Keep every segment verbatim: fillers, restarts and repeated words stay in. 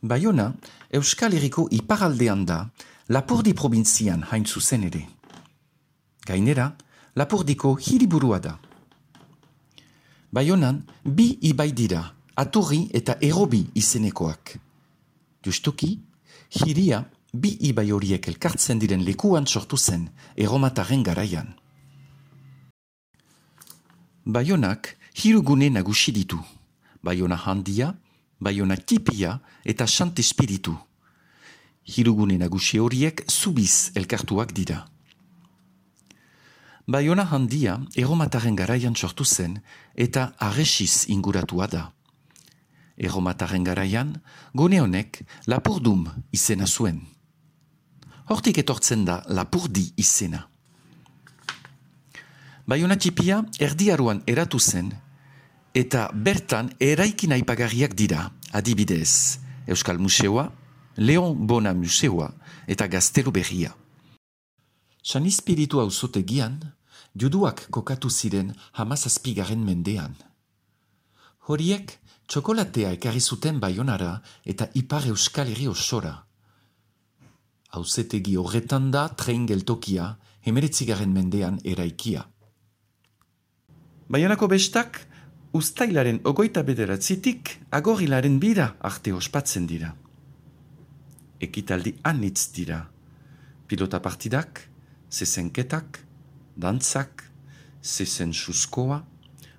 Baiona, Euskal Herriko iparaldean da, Lapurdi probintzian hain zuzen ere. Gainera, Lapurdiko hiriburua da. Baionan, bi ibai dira, Aturri eta Erobi izenekoak. Justuki, hiria bi ibai horiek elkartzen diren lekuan sortu zen, erromatarren garaian. Baionak hiru gune nagusi ditu. Baiona handia, Baiona tipia eta Sant Espiritu. Hiru gune nagusi horiek zubiz elkartuak dira. Baiona handia erromatarren garaian sortu zen eta arresiz inguratua da. Erromatarren garaian, gune honek Lapurdum izena zuen. Hortik etortzen da Lapurdi izena. Baiona tipia erdiaruan eratu zen, eta bertan eraikin aipagarriak dira, adibidez, Euskal Museoa, Leon Bona Museoa eta Gaztelu Berria. San Espiritu auzotegian, juduak kokatu ziren hamazazpigaren mendean. Horiek txokolatea ekarri zuten Baionara eta ipar Euskal Herri osora. Auzitegi horretan da tren geltokia hemeretzigaren mendean eraikia. Baionako bestak, uztailaren ogoita bederatzitik agorilaren bira arte ospatzen dira. Ekitaldi anitz dira. Pilota partidak, zezenketak, dantzak, zezen suskoa,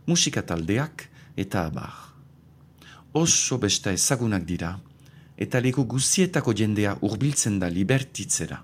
musikataldeak eta abar. Oso besta ezagunak dira, eta leku guzietako jendea hurbiltzen da libertitzera.